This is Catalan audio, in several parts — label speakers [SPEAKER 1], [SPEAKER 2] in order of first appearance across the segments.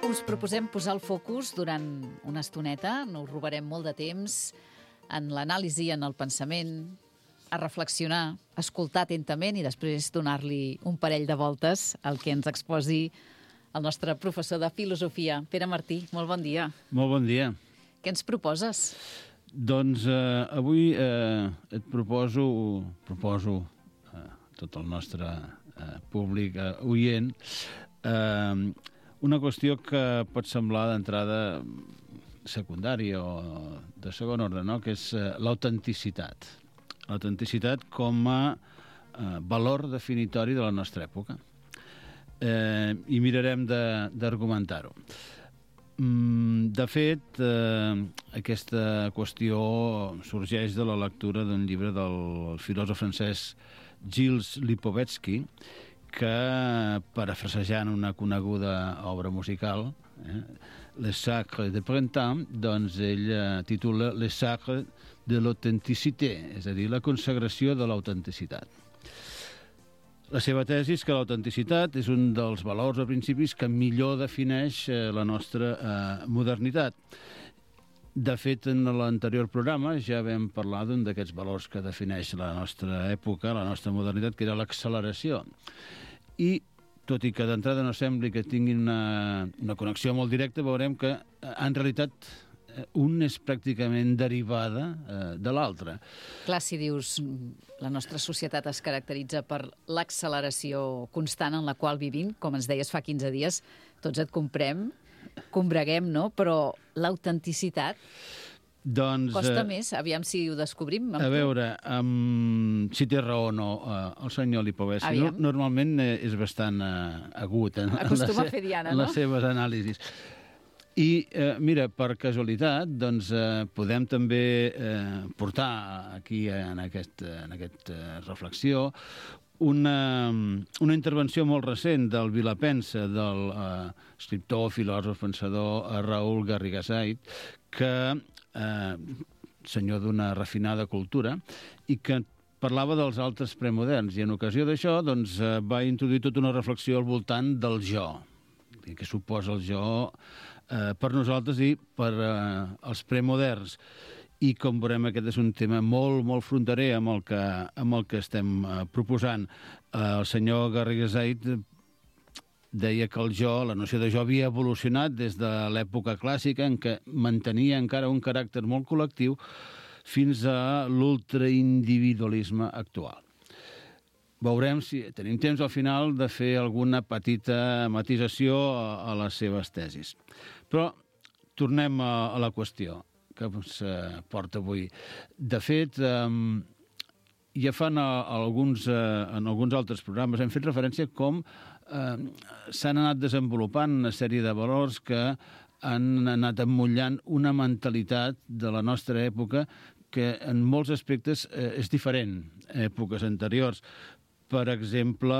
[SPEAKER 1] us proposem posar el focus durant una estoneta, no us robarem molt de temps, en l'anàlisi, en el pensament, a reflexionar, a escoltar atentament i després donar-li un parell de voltes al que ens exposi el nostre professor de filosofia. Pere Martí, molt bon dia.
[SPEAKER 2] Molt bon dia.
[SPEAKER 1] Què ens proposes?
[SPEAKER 2] Doncs avui et proposo a tot el nostre públic oient una qüestió que pot semblar d'entrada secundària o de segon ordre, no? Que és l'autenticitat. L'autenticitat com a valor definitori de la nostra època. I mirarem d'argumentar-ho. De fet, aquesta qüestió sorgeix de la lectura d'un llibre del filòsof francès Gilles Lipovetsky, que, parafrasejant una coneguda obra musical, Les Sacres de Printemps, doncs ell titula Les Sacres de l'Authenticité, és a dir, la consagració de l'autenticitat. La seva tesi és que l'autenticitat és un dels valors o principis que millor defineix la nostra modernitat. De fet, en l'anterior programa ja vam parlar d'un d'aquests valors que defineix la nostra època, la nostra modernitat, que era l'acceleració. I, tot i que d'entrada no sembli que tinguin una connexió molt directa, veurem que, en realitat, un és pràcticament derivada de l'altre.
[SPEAKER 1] Clar, si dius la nostra societat es caracteritza per l'acceleració constant en la qual vivim, com ens deies fa 15 dies, tots et combreguem, no? Però l'autenticitat costa més, aviam si ho descobrim.
[SPEAKER 2] A veure, si té raó o no el senyor Lipovetsky. Normalment és bastant agut en les seves anàlisis. I, mira, per casualitat, doncs, podem també portar aquí, en aquesta reflexió, una intervenció molt recent del Vilapensa, del escriptor, filòsof, pensador Raül Garrigasait, que senyor d'una refinada cultura, i que parlava dels altres premoderns, i en ocasió d'això doncs, va introduir tota una reflexió al voltant del jo, que suposa el jo per nosaltres i per els premoderns. I com veurem, aquest és un tema molt, molt fronterer amb el que estem proposant. El senyor Garrigasait deia que el jo, la noció de jo, havia evolucionat des de l'època clàssica, en què mantenia encara un caràcter molt col·lectiu, fins a l'ultraindividualisme actual. Veurem si tenim temps al final de fer alguna petita matisació a les seves tesis. Però tornem a la qüestió que ens porta avui. De fet, ja en alguns altres programes hem fet referència a com s'han anat desenvolupant una sèrie de valors que han anat emmotllant una mentalitat de la nostra època que en molts aspectes és diferent a èpoques anteriors. Per exemple,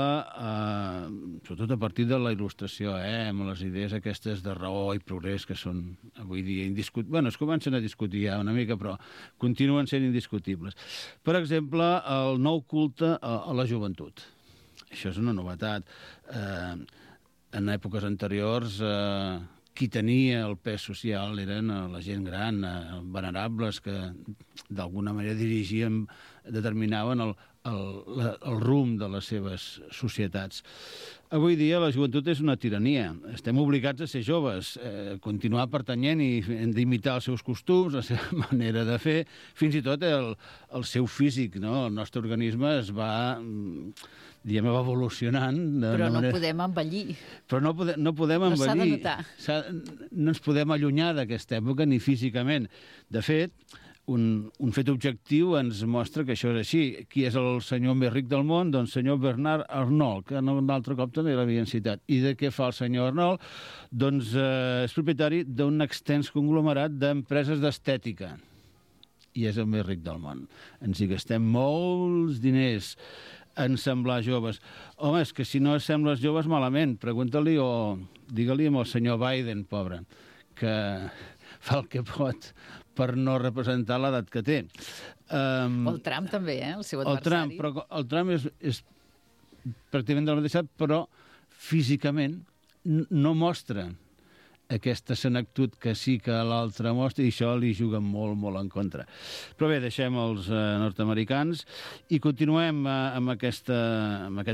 [SPEAKER 2] sobretot a partir de la il·lustració, amb les idees aquestes de raó i progrés que són avui dia indiscutibles. Bueno, es comencen a discutir ja una mica, però continuen sent indiscutibles. Per exemple, el nou culte a la joventut. Això és una novetat. En èpoques anteriors, qui tenia el pes social eren la gent gran, venerables, que d'alguna manera determinaven el rumb de les seves societats. Avui dia la joventut és una tirania. Estem obligats a ser joves, continuar pertanyent i d'imitar els seus costums, la seva manera de fer, fins i tot el seu físic, no? El nostre organisme es va evolucionant.
[SPEAKER 1] Però no podem envellir.
[SPEAKER 2] Però no podem envellir.
[SPEAKER 1] No s'ha de notar.
[SPEAKER 2] No ens podem allunyar d'aquesta època ni físicament. De fet, un fet objectiu ens mostra que això és així. Qui és el senyor més ric del món? Doncs senyor Bernard Arnault, que un altre cop també l'havien citat. I de què fa el senyor Arnault? Doncs és propietari d'un extens conglomerat d'empreses d'estètica. I és el més ric del món. Ens hi gastem molts diners en semblar joves. Home, és que si no sembles joves malament, pregunta-li o digue-li amb el senyor Biden, pobre, que fa el que pot per no representar l'edat que té.
[SPEAKER 1] O el Trump també, el seu adversari.
[SPEAKER 2] El Trump és pràcticament de la mateixa, però físicament no mostra aquesta senectut que sí que l'altre mostra, i això li juga molt, molt en contra. Però bé, deixem els nord-americans i continuem amb aquest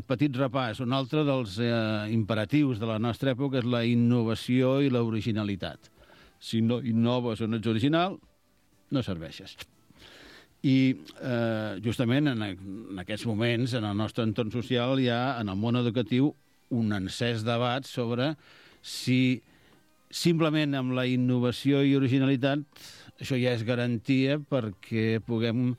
[SPEAKER 2] petit repàs. Un altre dels imperatius de la nostra època és la innovació i l'originalitat. Si no innoves o no ets original, no serveixes. I justament en aquests moments, en el nostre entorn social, hi ha en el món educatiu un encès debat sobre si simplement amb la innovació i originalitat això ja és garantia perquè puguem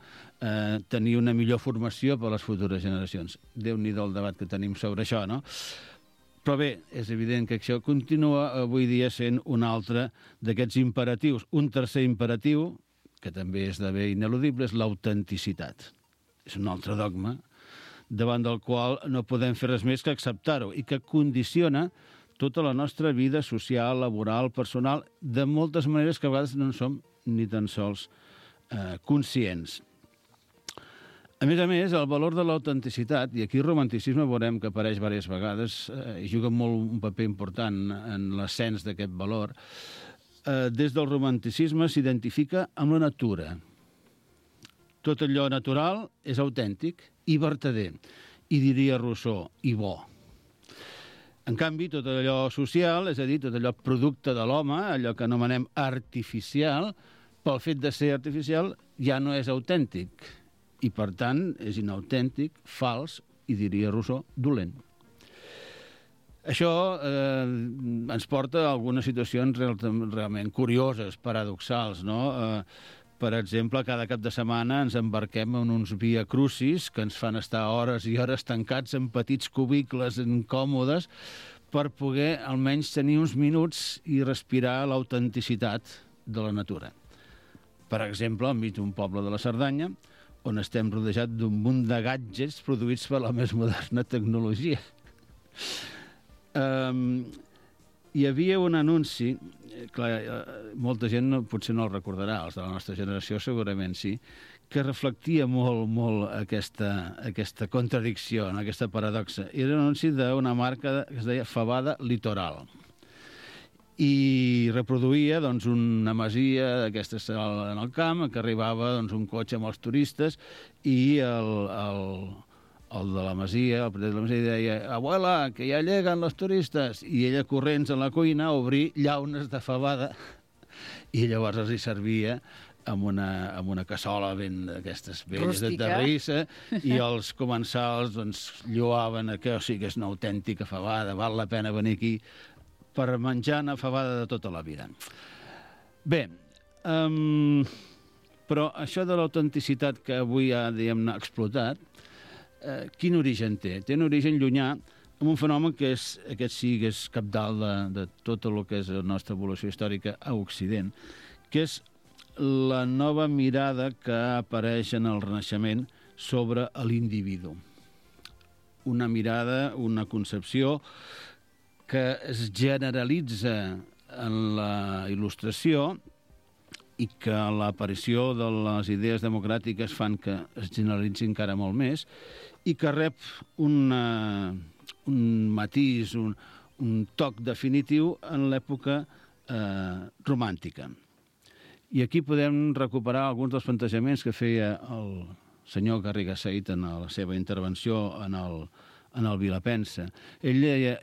[SPEAKER 2] tenir una millor formació per a les futures generacions. Déu-n'hi-do el debat que tenim sobre això, no? Però bé, és evident que això continua avui dia sent un altre d'aquests imperatius. Un tercer imperatiu, que també esdevé ineludible, és l'autenticitat. És un altre dogma davant del qual no podem fer res més que acceptar-ho i que condiciona tota la nostra vida social, laboral, personal, de moltes maneres que a vegades no en som ni tan sols conscients. A més, el valor de l'autenticitat, i aquí el romanticisme veurem que apareix diverses vegades i juga un paper important en l'ascens d'aquest valor, des del romanticisme s'identifica amb la natura. Tot allò natural és autèntic i vertader, i diria Rousseau, i bo. En canvi, tot allò social, és a dir, tot allò producte de l'home, allò que anomenem artificial, pel fet de ser artificial, ja no és autèntic. I, per tant, és inautèntic, fals, i diria Rousseau, dolent. Això ens porta a algunes situacions realment curioses, paradoxals, no? Per exemple, cada cap de setmana ens embarquem en uns via crucis que ens fan estar hores i hores tancats en petits cubicles incòmodes per poder almenys tenir uns minuts i respirar l'autenticitat de la natura. Per exemple, enmig d'un poble de la Cerdanya, on estem rodejats d'un munt de gadgets produïts per la més moderna tecnologia. Hi havia un anunci, clar, molta gent potser no el recordarà, els de la nostra generació segurament sí, que reflectia molt aquesta contradicció, aquesta paradoxa. Era un anunci d'una marca que es deia Fabada Litoral i reproduïa una masia d'aquestes en el camp, que arribava un cotxe amb els turistes i el de la masia, el propietari de la masia, deia «Abuela, que ja lleguen los turistes!» I ella corrents a la cuina a obrir llaunes de fabada i llavors els hi servia amb una cassola ben d'aquestes velles de terrissa i els comensals lloaven que sí que és una autèntica fabada, val la pena venir aquí per menjar una fabada de tota la vida. Bé, però això de l'autenticitat que avui ha, diguem-ne, explotat, quin origen té? Té un origen llunyà amb un fenomen que aquest sí que és cabdal de tot el que és la nostra evolució històrica a Occident, que és la nova mirada que apareix en el Renaixement sobre l'individu. Una mirada, una concepció que es generalitza en la il·lustració i que l'aparició de les idees democràtiques fan que es generalitzi encara molt més i que rep un matís, un toc definitiu en l'època romàntica. I aquí podem recuperar alguns dels plantejaments que feia el senyor Garriga Said en la seva intervenció en el Vilapensa. Ell deia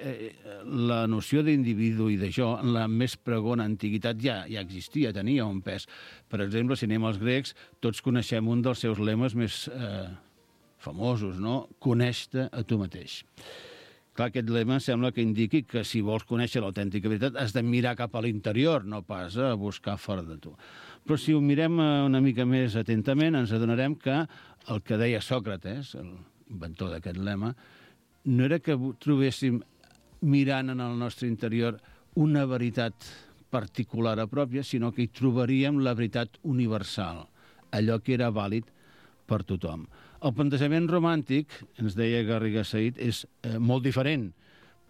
[SPEAKER 2] la noció d'individu i de jo en la més pregona antiguitat ja existia, tenia un pes. Per exemple, si anem als grecs, tots coneixem un dels seus lemes més famosos, no? Coneix-te a tu mateix. Clar, aquest lema sembla que indiqui que si vols conèixer l'autèntica veritat has de mirar cap a l'interior, no pas a buscar fora de tu. Però si ho mirem una mica més atentament, ens adonarem que el que deia Sòcrates, l'inventor d'aquest lema, no era que trobéssim mirant en el nostre interior una veritat particular a pròpia, sinó que hi trobaríem la veritat universal, allò que era vàlid per tothom. El plantejament romàntic, ens deia Garriga Said, és molt diferent,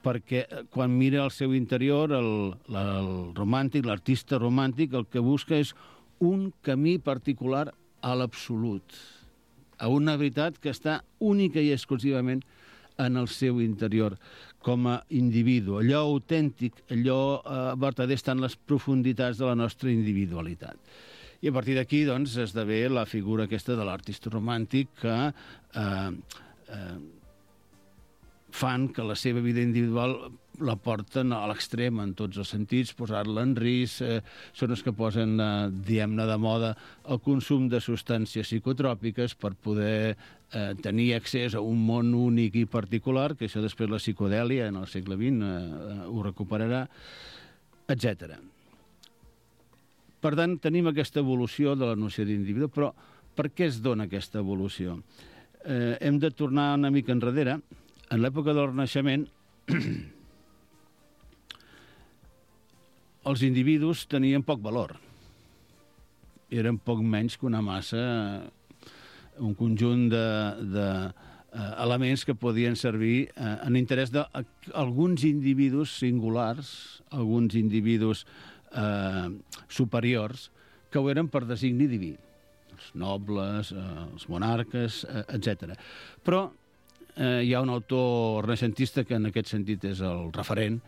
[SPEAKER 2] perquè quan mira al seu interior, el romàntic, l'artista romàntic, el que busca és un camí particular a l'absolut, a una veritat que està única i exclusivament en el seu interior. com a individu. Allò autèntic, allò vertader està en les profunditats de la nostra individualitat. I a partir d'aquí, doncs, esdevé la figura aquesta de l'artista romàntic que fan que la seva vida individual la porten a l'extrem en tots els sentits, posar-la en risc, són els que posen, diguem-ne, de moda el consum de substàncies psicotròpiques per poder tenir accés a un món únic i particular, que això després la psicodèlia en el segle XX ho recuperarà, etc. Per tant, tenim aquesta evolució de la noció d'individu, però per què es dona aquesta evolució? Hem de tornar una mica enrere. En l'època del Renaixement, els individus tenien poc valor. Eren poc menys que una massa, un conjunt d'elements que podien servir en interès d'alguns individus singulars, alguns individus superiors, que ho eren per designi diví. Els nobles, els monarques, etc. Però hi ha un autor renaixentista que en aquest sentit és el referent,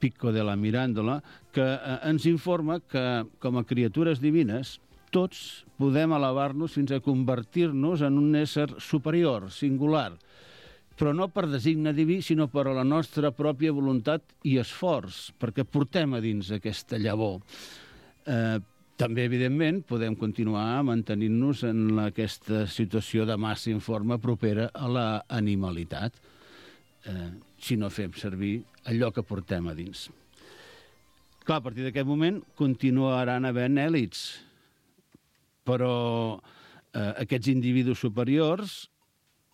[SPEAKER 2] Pico de la Mirandola, que ens informa que com a criatures divines tots podem elevar-nos fins a convertir-nos en un ésser superior, singular, però no per designe diví, sinó per a la nostra pròpia voluntat i esforç, perquè portem a dins aquesta llavor. També, evidentment, podem continuar mantenint-nos en aquesta situació de massa informe propera a la animalitat, si no fem servir allò que portem a dins. Clar, a partir d'aquest moment continuaran havent èlits, però aquests individus superiors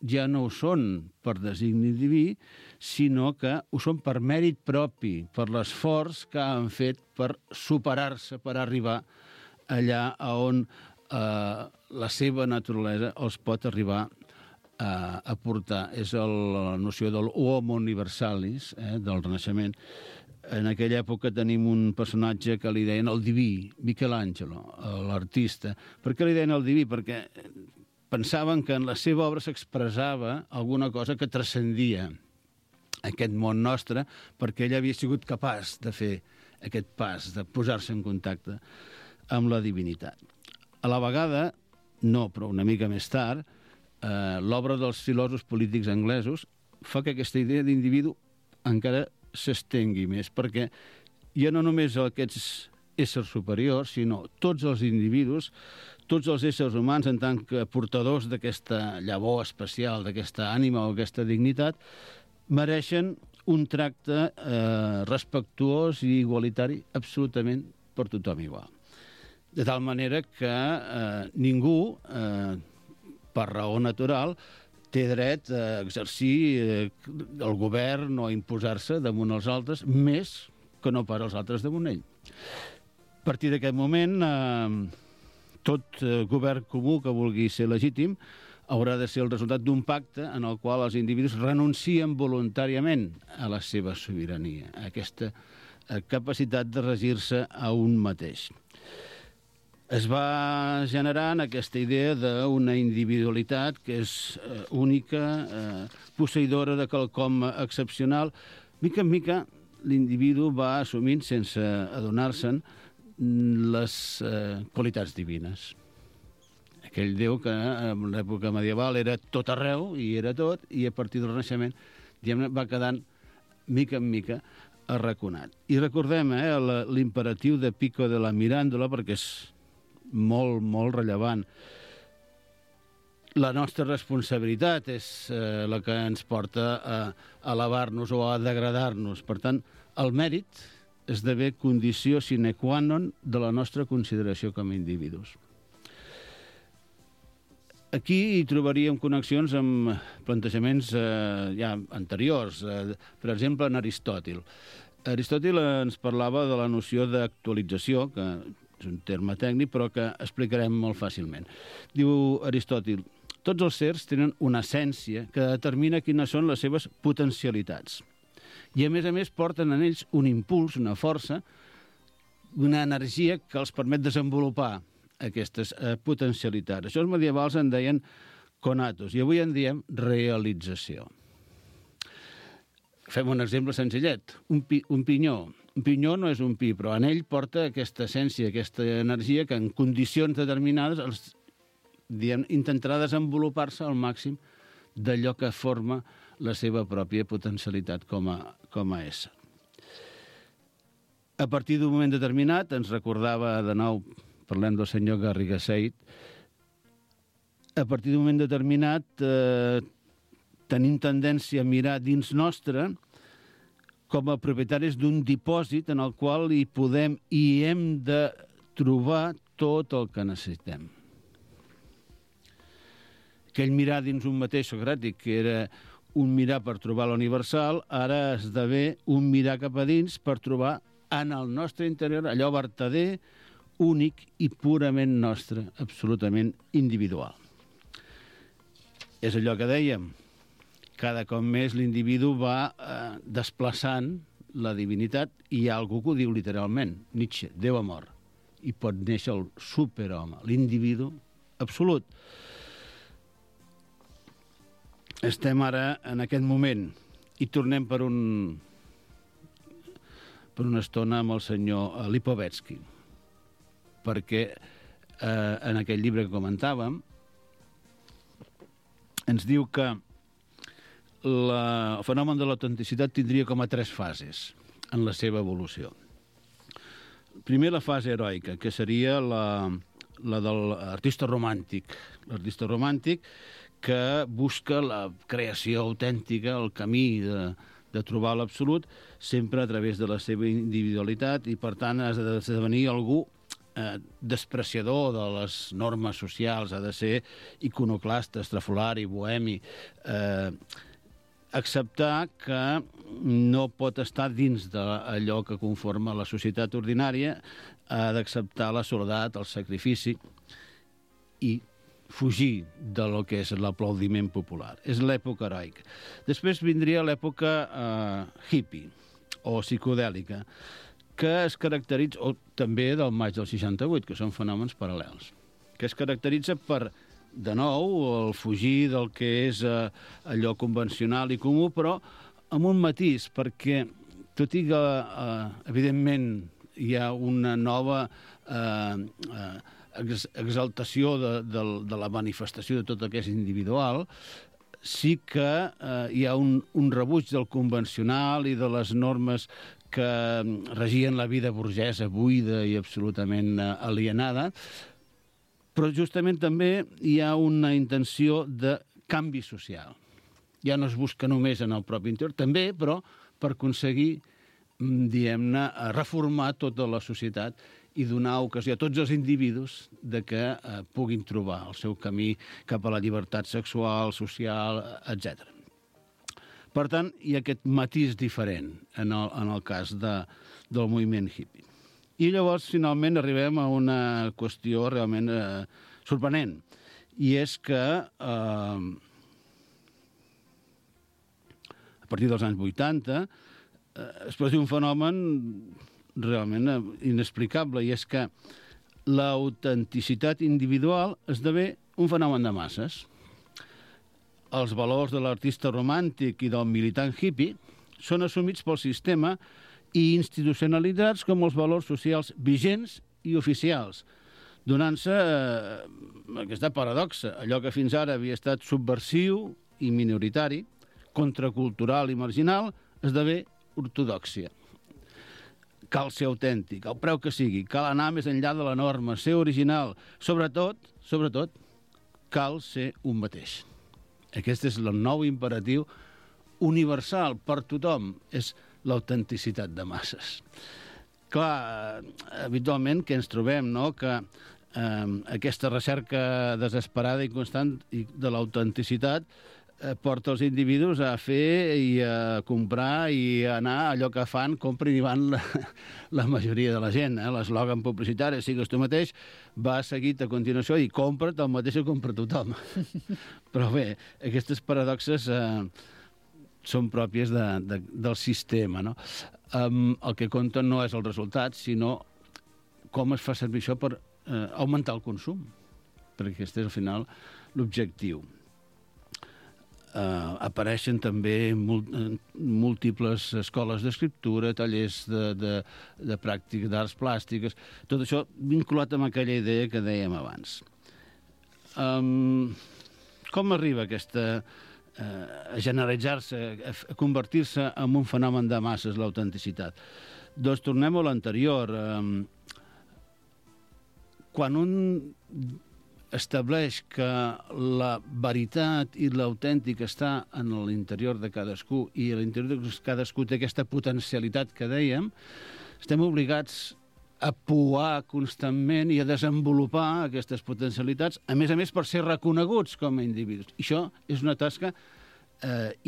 [SPEAKER 2] ja no ho són per designi diví, sinó que ho són per mèrit propi, per l'esforç que han fet per superar-se, per arribar allà on la seva naturalesa els pot arribar a portar. És la noció del homo universalis, del Renaixement. En aquella època tenim un personatge que li deien el diví, Michelangelo, l'artista. Per què li deien el diví? Perquè pensaven que en la seva obra s'expressava alguna cosa que transcendia aquest món nostre, perquè ell havia sigut capaç de fer aquest pas, de posar-se en contacte amb la divinitat. A la vegada, no, però una mica més tard, l'obra dels filòsofs polítics anglesos fa que aquesta idea d'individu encara s'estengui més, perquè ja no només aquests éssers superiors, sinó tots els individus, tots els éssers humans en tant que portadors d'aquesta llavor especial, d'aquesta ànima o aquesta dignitat, mereixen un tracte respectuós i igualitari absolutament per tothom igual. De tal manera que ningú, per raó natural, té dret a exercir el govern o a imposar-se damunt els altres, més que no per als altres damunt ell. A partir d'aquest moment, tot govern comú que vulgui ser legítim haurà de ser el resultat d'un pacte en el qual els individus renuncien voluntàriament a la seva sobirania, a aquesta capacitat de regir-se a un mateix. Es va generant aquesta idea d'una individualitat que és única, posseïdora de quelcom excepcional. Mica en mica, l'individu va assumint, sense adonar-se'n, les qualitats divines. Aquell Déu que en l'època medieval era tot arreu, i era tot, i a partir del Renaixement va quedant, mica en mica, arraconat. I recordem l'imperatiu de Pico de la Mirandola, perquè és molt, molt rellevant. La nostra responsabilitat és la que ens porta a elevar-nos o a degradar-nos. Per tant, el mèrit esdevé condició sine qua non de la nostra consideració com a individus. Aquí hi trobaríem connexions amb plantejaments ja anteriors, per exemple, en Aristòtil. Aristòtil ens parlava de la noció d'actualització, que és un terme tècnic, però que explicarem molt fàcilment. Diu Aristòtil, tots els sers tenen una essència que determina quines són les seves potencialitats. I, a més, porten en ells un impuls, una força, una energia que els permet desenvolupar aquestes potencialitats. Això els medievals en deien conatos, i avui en diem realització. Fem un exemple senzillet. Un pinyó. Un pinyó no és un pi, però en ell porta aquesta essència, aquesta energia que en condicions determinades intentarà desenvolupar-se al màxim d'allò que forma la seva pròpia potencialitat com a ésser. A partir d'un moment determinat, ens recordava de nou, parlem del senyor Garriga Said, a partir d'un moment determinat tenim tendència a mirar dins nostre com a propietaris d'un dipòsit en el qual hi podem i hem de trobar tot el que necessitem. Aquell mirar dins un mateix socràtic, que era un mirar per trobar l'universal, ara esdevé un mirar cap a dins per trobar en el nostre interior allò vertader, únic i purament nostre, absolutament individual. És allò que dèiem, cada cop més l'individu va desplaçant la divinitat i hi ha algú que ho diu literalment, Nietzsche, Déu ha mort, i pot néixer el superhome, l'individu absolut. Estem ara en aquest moment i tornem per una estona amb el senyor Lipovetsky, perquè en aquell llibre que comentàvem ens diu que el fenomen de l'autenticitat tindria com a 3 fases en la seva evolució. Primer, la fase heroica, que seria la de l'artista romàntic. L'artista romàntic que busca la creació autèntica, el camí de trobar l'absolut, sempre a través de la seva individualitat i, per tant, ha d'esdevenir algú despreciador de les normes socials, ha de ser iconoclasta, estrafolari, bohemi, acceptar que no pot estar dins d'allò que conforma la societat ordinària, ha d'acceptar la soledat, el sacrifici i fugir de lo que és l'aplaudiment popular. És l'època heroica. Després vindria l'època hippie o psicodèlica, que es caracteritza, o també del maig del 68, que són fenòmens paral·lels, que es caracteritza per, de nou, el fugir del que és allò convencional i comú, però amb un matís, perquè tot i que, evidentment, hi ha una nova exaltació de la manifestació de tot el que és individual, sí que hi ha un rebuig del convencional i de les normes que regien la vida burgesa, buida i absolutament alienada, però justament també hi ha una intenció de canvi social. Ja no es busca només en el propi interior, també, però per aconseguir, diguem-ne, reformar tota la societat i donar ocasió a tots els individus de que puguin trobar el seu camí cap a la llibertat sexual, social, etc. Per tant, hi ha aquest matís diferent en el cas del moviment hippie. I llavors, finalment, arribem a una qüestió realment sorprenent, i és que a partir dels anys 80 es produeix un fenomen realment inexplicable, i és que l'autenticitat individual esdevé un fenomen de masses. Els valors de l'artista romàntic i del militant hippie són assumits pel sistema i institucionalitzats com els valors socials vigents i oficials, donant-se aquesta paradoxa. Allò que fins ara havia estat subversiu i minoritari, contracultural i marginal, esdevé ortodòxia. Cal ser autèntic, al preu que sigui, cal anar més enllà de la norma, ser original. Sobretot, cal ser un mateix. Aquest és el nou imperatiu universal per tothom, és l'autenticitat de masses. Clar, habitualment que ens trobem, no?, que aquesta recerca desesperada i constant de l'autenticitat porta els individus a fer i a comprar i a anar allò que fan, compren i van la majoria de la gent. L'eslògan publicitari, sigues tu mateix, va seguit a continuació i compra't el mateix que compra tothom. Però bé, aquestes paradoxes són pròpies del sistema, no? El que compta no és el resultat, sinó com es fa servir això per augmentar el consum, perquè aquest és al final l'objectiu. apareixen també múltiples escoles d'escriptura, tallers de pràctica d'arts plàstiques, tot això vinculat amb aquella idea que dèiem abans. Com arriba aquesta a generalitzar-se, a convertir-se en un fenomen de masses, l'autenticitat? Doncs tornem a l'anterior. Quan un estableix que la veritat i l'autèntic està en l'interior de cadascú i a l'interior de cadascú té aquesta potencialitat que dèiem, estem obligats a pouar constantment i a desenvolupar aquestes potencialitats, a més per ser reconeguts com a individus. I això és una tasca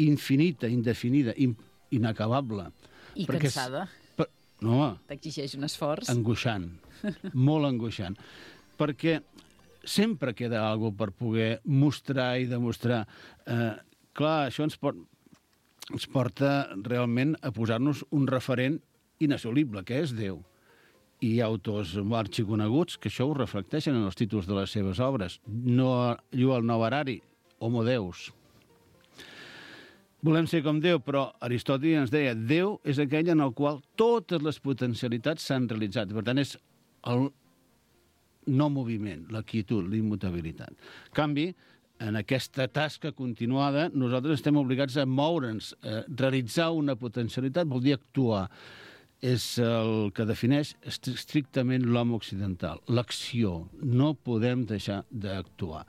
[SPEAKER 2] infinita, indefinida, inacabable.
[SPEAKER 1] I cansada.
[SPEAKER 2] No,
[SPEAKER 1] t'exigeix un esforç.
[SPEAKER 2] Angoixant, molt angoixant. Perquè sempre queda alguna cosa per poder mostrar i demostrar. Clar, això ens porta realment a posar-nos un referent inassolible, que és Déu. I hi ha autors arxiconeguts que això ho reflecteixen en els títols de les seves obres. Llual Novarari, Homo Deus. Volem ser com Déu, però Aristòtil ens deia Déu és aquell en el qual totes les potencialitats s'han realitzat. Per tant, és el no moviment, la quietud, l'immutabilitat. En canvi, en aquesta tasca continuada, nosaltres estem obligats a moure'ns, a realitzar una potencialitat, vol dir actuar. És el que defineix estrictament l'home occidental, l'acció. No podem deixar d'actuar.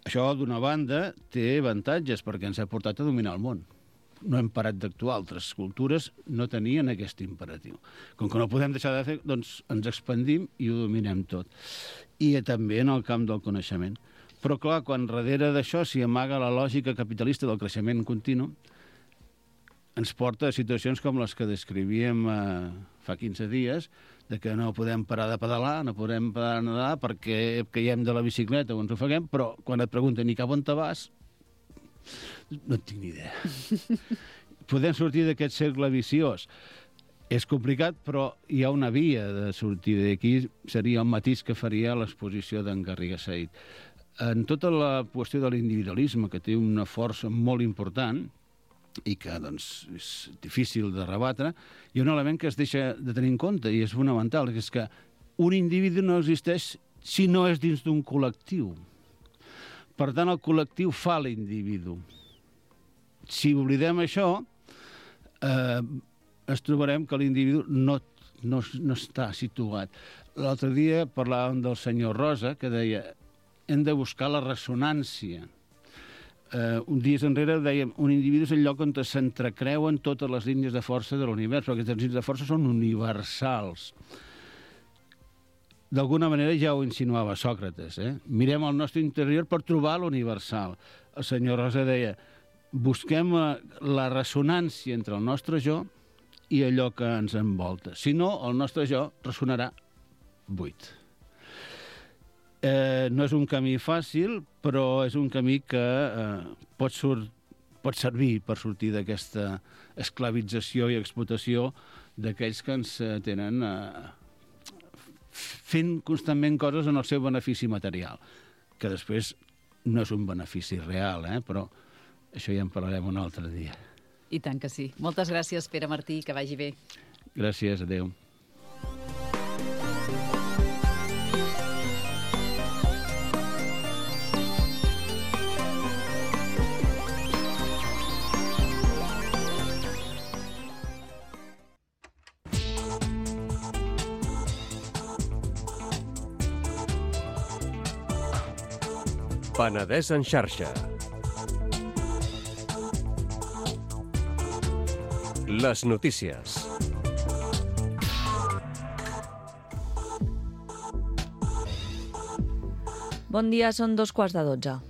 [SPEAKER 2] Això, d'una banda, té avantatges perquè ens ha portat a dominar el món. No hem parat d'actuar. Altres cultures no tenien aquest imperatiu. Com que no podem deixar de fer, doncs ens expandim i ho dominem tot. I també en el camp del coneixement. Però, clar, quan darrere d'això s'hi amaga la lògica capitalista del creixement continu, ens porta a situacions com les que descrivíem fa 15 dies, de que no podem parar de pedalar, no podem parar de nedar perquè caiem de la bicicleta o ens ofeguem, però quan et pregunten i cap on te vas, no tinc ni idea. Podem sortir d'aquest cercle viciós. És complicat, però hi ha una via de sortida. Aquí seria el matís que faria l'exposició d'en Garriga Said. En tota la qüestió de l'individualisme, que té una força molt important, i que doncs, és difícil de rebatre, hi ha un element que es deixa de tenir en compte i és fonamental, que és que un individu no existeix si no és dins d'un col·lectiu. Per tant, el col·lectiu fa l'individu. Si oblidem això, ens trobarem que l'individu no està situat. L'altre dia parlàvem del senyor Rosa, que deia hem de buscar la ressonància. Un dia enrere dèiem un individu és el lloc on s'entrecreuen totes les línies de força de l'univers, perquè aquestes línies de força són universals. D'alguna manera ja ho insinuava Sòcrates. Mirem al nostre interior per trobar l'universal. El senyor Rosa deia busquem la ressonància entre el nostre jo i allò que ens envolta. Si no, el nostre jo ressonarà buit. No és un camí fàcil, però és un camí que pot servir per sortir d'aquesta esclavització i explotació d'aquells que ens tenen fent constantment coses en el seu benefici material, que després no és un benefici real, però això ja en parlarem un altre dia.
[SPEAKER 1] I tant que sí. Moltes gràcies, Pere Martí, que vagi bé.
[SPEAKER 2] Gràcies, adéu.
[SPEAKER 3] Penedès en xarxa. Les notícies.
[SPEAKER 4] Bon dia, són 2:15.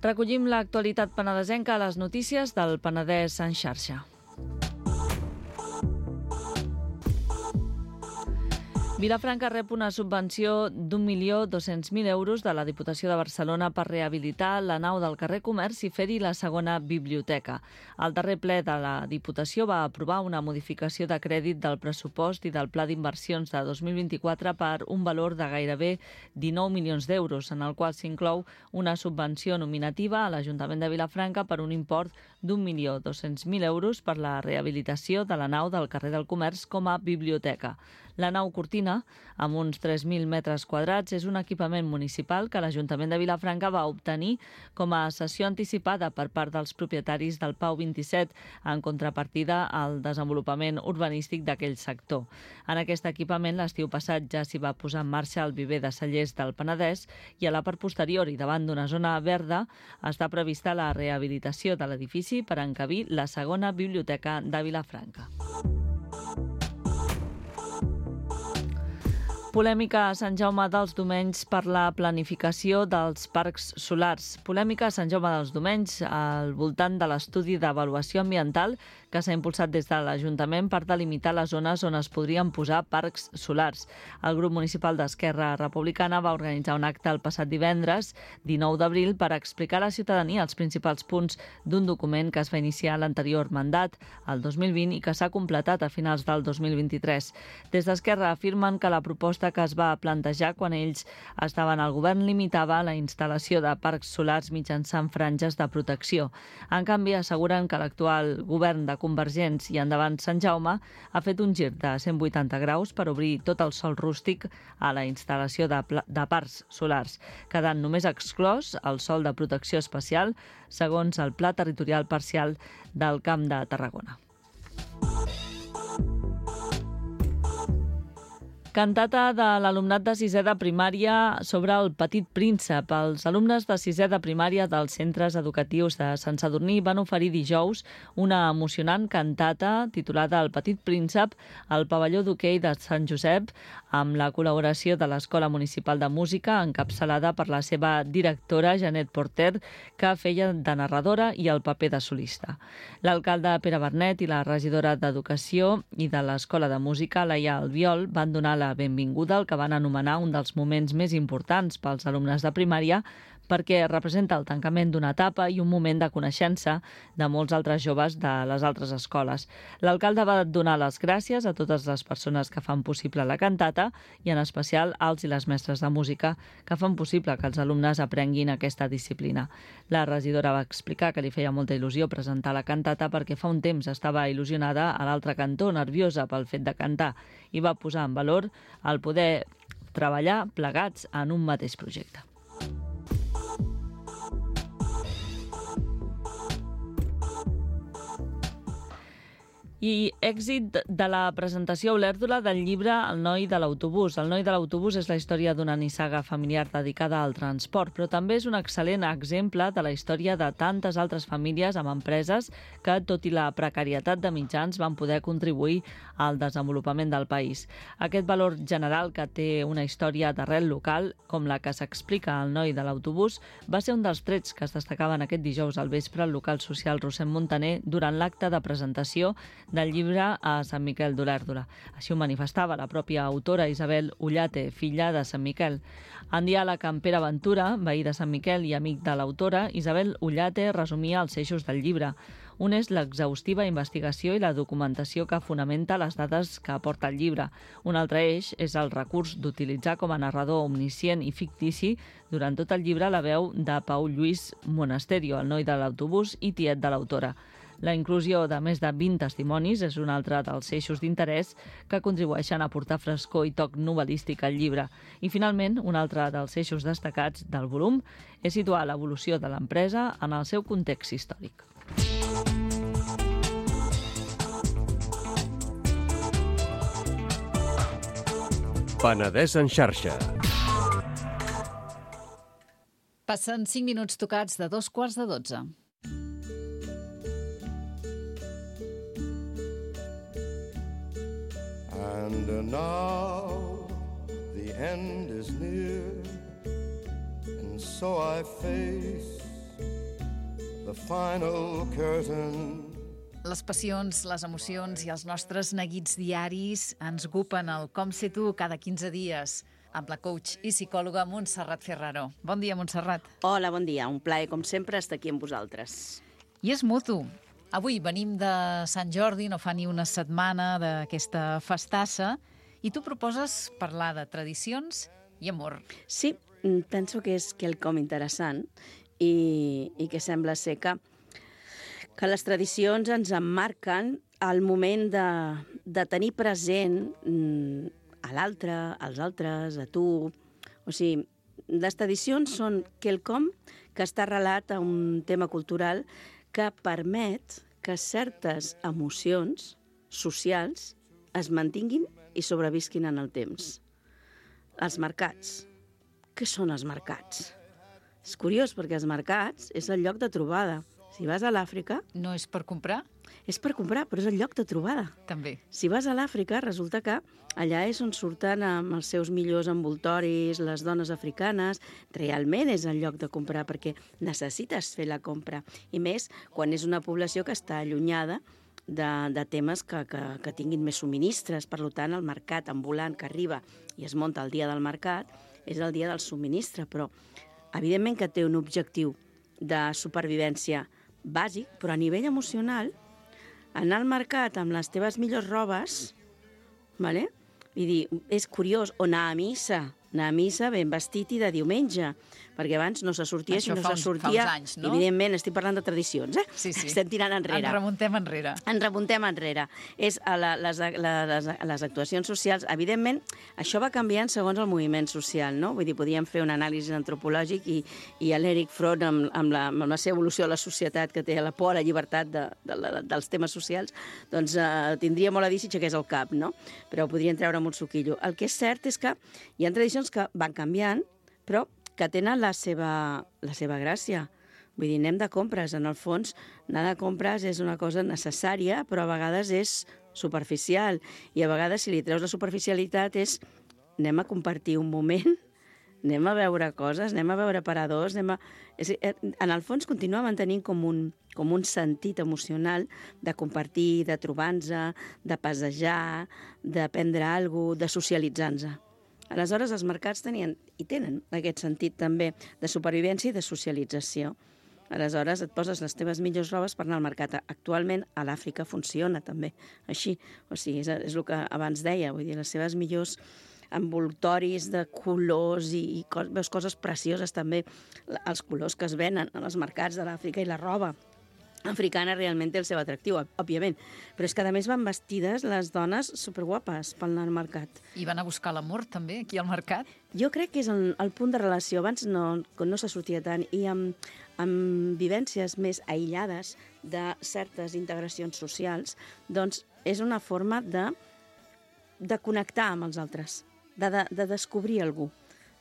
[SPEAKER 4] Recollim l'actualitat penedesenca a les notícies del Penedès en xarxa. Vilafranca rep una subvenció d'1.200.000 euros de la Diputació de Barcelona per rehabilitar la nau del carrer Comerç i fer-hi la segona biblioteca. El darrer ple de la Diputació va aprovar una modificació de crèdit del pressupost i del pla d'inversions de 2024 per un valor de gairebé 19 milions d'euros, en el qual s'inclou una subvenció nominativa a l'Ajuntament de Vilafranca per un import d'1.200.000 euros per la rehabilitació de la nau del carrer del Comerç com a biblioteca. La nau Cortina, amb uns 3.000 metres quadrats, és un equipament municipal que l'Ajuntament de Vilafranca va obtenir com a cessió anticipada per part dels propietaris del Pau 27 en contrapartida al desenvolupament urbanístic d'aquell sector. En aquest equipament, l'estiu passat ja s'hi va posar en marxa el viver de cellers del Penedès i a la part posterior i davant d'una zona verda està prevista la rehabilitació de l'edifici per encabir la segona biblioteca de Vilafranca. Polèmica a Sant Jaume dels Domenys per la planificació dels parcs solars. Polèmica a Sant Jaume dels Domenys al voltant de l'estudi d'avaluació ambiental que s'ha impulsat des de l'Ajuntament per delimitar les zones on es podrien posar parcs solars. El grup municipal d'Esquerra Republicana va organitzar un acte el passat divendres, 19 d'abril, per explicar a la ciutadania els principals punts d'un document que es va iniciar l'anterior mandat, el 2020, i que s'ha completat a finals del 2023. Des d'Esquerra afirmen que la proposta que es va plantejar quan ells estaven al govern limitava la instal·lació de parcs solars mitjançant franges de protecció. En canvi, asseguren que l'actual govern de Convergents i Endavant Sant Jaume ha fet un gir de 180 graus per obrir tot el sòl rústic a la instal·lació de parcs solars, quedant només exclòs el sòl de protecció especial segons el Pla Territorial Parcial del Camp de Tarragona. Cantata de l'alumnat de sisè de primària sobre el Petit Príncep. Els alumnes de sisè de primària dels centres educatius de Sant Sadurní van oferir dijous una emocionant cantata titulada El Petit Príncep al pavelló d'hoquei de Sant Josep amb la col·laboració de l'Escola Municipal de Música encapçalada per la seva directora Janet Porter, que feia de narradora i el paper de solista. L'alcalde Pere Bernet i la regidora d'Educació i de l'Escola de Música, Laia Albiol, van donar la benvinguda al que van anomenar un dels moments més importants pels alumnes de primària perquè representa el tancament d'una etapa i un moment de coneixença de molts altres joves de les altres escoles. L'alcalde va donar les gràcies a totes les persones que fan possible la cantata i en especial als i les mestres de música que fan possible que els alumnes aprenguin aquesta disciplina. La regidora va explicar que li feia molta il·lusió presentar la cantata perquè fa un temps estava il·lusionada a l'altre cantó, nerviosa pel fet de cantar, i va posar en valor el poder treballar plegats en un mateix projecte. I èxit de la presentació a Olèrdola del llibre El noi de l'autobús. El noi de l'autobús és la història d'una nissaga familiar dedicada al transport, però també és un excel·lent exemple de la història de tantes altres famílies amb empreses que, tot i la precarietat de mitjans, van poder contribuir al desenvolupament del país. Aquest valor general que té una història d'arrel local, com la que s'explica al noi de l'autobús, va ser un dels trets que es destacaven aquest dijous al vespre al local social Rossend Montaner durant l'acte de presentació del llibre a Sant Miquel d'Olèrdola. Així ho manifestava la pròpia autora Isabel Ullate, filla de Sant Miquel. En diàleg amb Pere Ventura, veí de Sant Miquel i amic de l'autora, Isabel Ullate resumia els eixos del llibre. Un és l'exhaustiva investigació i la documentació que fonamenta les dades que aporta el llibre. Un altre eix és el recurs d'utilitzar com a narrador omniscient i fictici durant tot el llibre la veu de Pau Lluís Monasterio, el noi de l'autobús i tiet de l'autora. La inclusió de més de 20 testimonis és un altre dels eixos d'interès que contribueixen a aportar frescor i toc novel·lístic al llibre. I, finalment, un altre dels eixos destacats del volum és situar l'evolució de l'empresa en el seu context històric.
[SPEAKER 3] Penedès en xarxa.
[SPEAKER 1] Passen 5 minuts tocats de 2:15.
[SPEAKER 5] And now the end is near, and so I face the final curtain.
[SPEAKER 1] Les passions, les emocions i els nostres neguits diaris ens ocupen el Com sé tu cada 15 dies amb la coach i psicòloga Montserrat Ferraro. Bon dia, Montserrat.
[SPEAKER 6] Hola, bon dia. Un plaer, com sempre, estar aquí amb vosaltres.
[SPEAKER 1] I és mutu. Avui venim de Sant Jordi, no fa ni una setmana d'aquesta festassa, i tu proposes parlar de tradicions i amor.
[SPEAKER 6] Sí, penso que és quelcom interessant i que sembla ser que les tradicions ens emmarquen al moment de tenir present a l'altre, als altres, a tu. O sigui, les tradicions són quelcom que està arrelat a un tema cultural que permet que certes emocions socials es mantinguin i sobrevisquin en el temps. Els mercats. Què són els mercats? És curiós, perquè els mercats és el lloc de trobada. Si vas a l'Àfrica...
[SPEAKER 1] No és per comprar?
[SPEAKER 6] És per comprar, però és el lloc de trobada.
[SPEAKER 1] També.
[SPEAKER 6] Si vas a l'Àfrica, resulta que allà és on surten amb els seus millors envoltoris les dones africanes. Realment és el lloc de comprar, perquè necessites fer la compra. I més quan és una població que està allunyada de temes que tinguin més subministres. Per tant, el mercat ambulant que arriba i es munta el dia del mercat és el dia del subministre, però evidentment que té un objectiu de supervivència bàsic, però a nivell emocional, anar al mercat amb les teves millors robes, vale? I dir, és curiós, o anar a missa ben vestit i de diumenge, perquè abans no se sortia,
[SPEAKER 1] Això
[SPEAKER 6] si no
[SPEAKER 1] fa
[SPEAKER 6] se sortia...
[SPEAKER 1] uns anys, no?
[SPEAKER 6] Evidentment, estic parlant de tradicions,
[SPEAKER 1] Sí.
[SPEAKER 6] Estem tirant enrere.
[SPEAKER 1] Ens remuntem enrere.
[SPEAKER 6] Ens remuntem enrere. És a les actuacions socials. Evidentment, això va canviant segons el moviment social, no? Vull dir, podíem fer un anàlisi antropològic i l'Eric Fromm, amb la seva evolució de la societat, que té la por a la llibertat dels temes socials, doncs tindria molt a dir si aixequés el cap, no? Però ho podrien treure amb un suquillo. El que és cert és que hi ha tradicions que van canviant, però que tenen la seva gràcia. Vull dir, anem de compres. En el fons, anar de compres és una cosa necessària, però a vegades és superficial. I a vegades, si li treus la superficialitat, és anem a compartir un moment, anem a veure coses, anem a veure paradors, en el fons continua mantenint com un sentit emocional de compartir, de trobar-nos, de passejar, de prendre alguna cosa, de socialitzar-nos. Aleshores, els mercats tenen aquest sentit també de supervivència i de socialització. Aleshores, et poses les teves millors robes per anar al mercat. Actualment, a l'Àfrica funciona també així. O sigui, és el que abans deia, vull dir, les seves millors envoltoris de colors i veus coses precioses també, els colors que es venen als mercats de l'Àfrica i la roba africana realment té el seu atractiu, òbviament. Però és que, a més, van vestides les dones superguapes per anar al mercat.
[SPEAKER 1] I van a buscar l'amor, també, aquí al mercat?
[SPEAKER 6] Jo crec que és el punt de relació. Abans no se sortia tant. I amb vivències més aïllades de certes integracions socials, doncs és una forma de connectar amb els altres, de descobrir algú,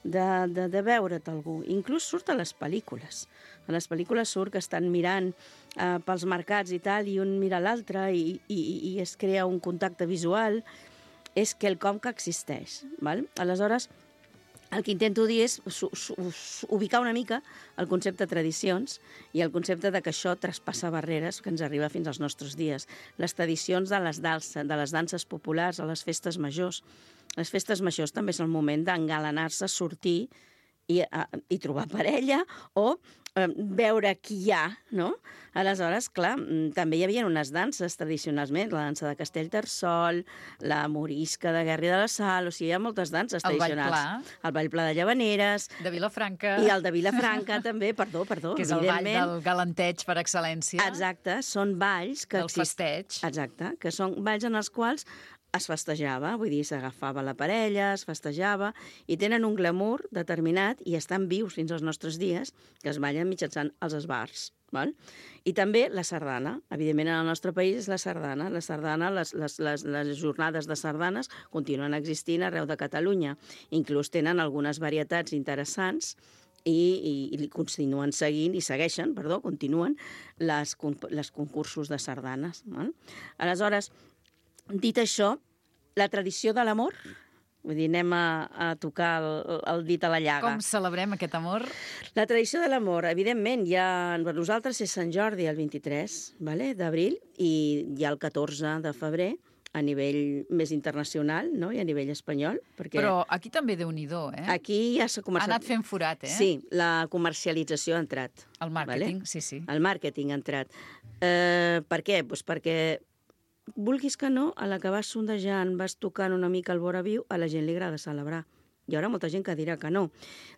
[SPEAKER 6] de veure't algú. Inclús surt a les pel·lícules. A les pel·lícules surt que estan mirant pels mercats i tal, i un mira l'altre i es crea un contacte visual. És quelcom que existeix. Val? Aleshores, el que intento dir és ubicar una mica el concepte de tradicions i el concepte de que això traspassa barreres que ens arriba fins als nostres dies. Les tradicions de les danses populars a les festes majors. Les festes majors també és el moment d'engalanar-se, sortir i trobar parella o veure qui hi ha, no? Aleshores, clar, també hi havia unes danses tradicionalment, la dansa de Castellterçol, la morisca de Guerri de la Sal, o sigui, hi ha moltes danses tradicionals. El ball pla de Llavaneres.
[SPEAKER 1] De Vilafranca.
[SPEAKER 6] I el de Vilafranca també, perdó.
[SPEAKER 1] Que és el ball del galanteig per excel·lència.
[SPEAKER 6] Exacte, són balls que...
[SPEAKER 1] Del festeig.
[SPEAKER 6] Exacte, que són balls en els quals es festejava, vull dir, s'agafava la parella, es festejava, i tenen un glamour determinat i estan vius fins als nostres dies, que es ballen mitjançant els esbars. Val? I també la sardana. Evidentment, en el nostre país és la sardana. La sardana, les jornades de sardanes continuen existint arreu de Catalunya. Inclús tenen algunes varietats interessants i continuen continuen les concursos de sardanes. Val? Aleshores, dit això, la tradició de l'amor, Vull dir, anem a tocar el dit a la llaga.
[SPEAKER 1] Com celebrem aquest amor?
[SPEAKER 6] La tradició de l'amor, evidentment, per nosaltres és Sant Jordi el 23 d'abril i hi ha el 14 de febrer a nivell més internacional, no? I a nivell espanyol. Perquè
[SPEAKER 1] Però aquí també Déu-n'hi-do, eh?
[SPEAKER 6] aquí ja s'ha
[SPEAKER 1] Ha
[SPEAKER 6] començat...
[SPEAKER 1] anat fent forat, eh?
[SPEAKER 6] Sí, la comercialització ha entrat.
[SPEAKER 1] El màrqueting, sí.
[SPEAKER 6] El màrqueting ha entrat. Per què? Doncs perquè, vulguis que no, a la que vas sondejant, vas tocant una mica el vora viu, a la gent li agrada celebrar. Hi haurà molta gent que dirà que no.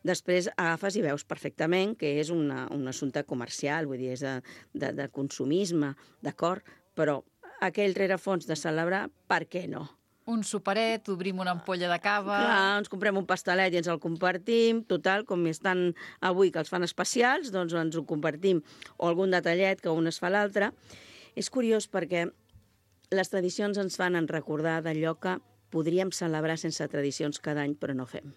[SPEAKER 6] Després agafes i veus perfectament que és un assumpte comercial, vull dir, és de consumisme, d'acord? Però aquell rerefons de celebrar, per què no?
[SPEAKER 1] Un superet, obrim una ampolla de cava...
[SPEAKER 6] Clar, ens comprem un pastelet i ens el compartim, total, com estan avui que els fan especials, doncs ens ho compartim, o algun detallet que un es fa l'altre. És curiós perquè les tradicions ens fan recordar d'allò que podríem celebrar sense tradicions cada any, però no fem.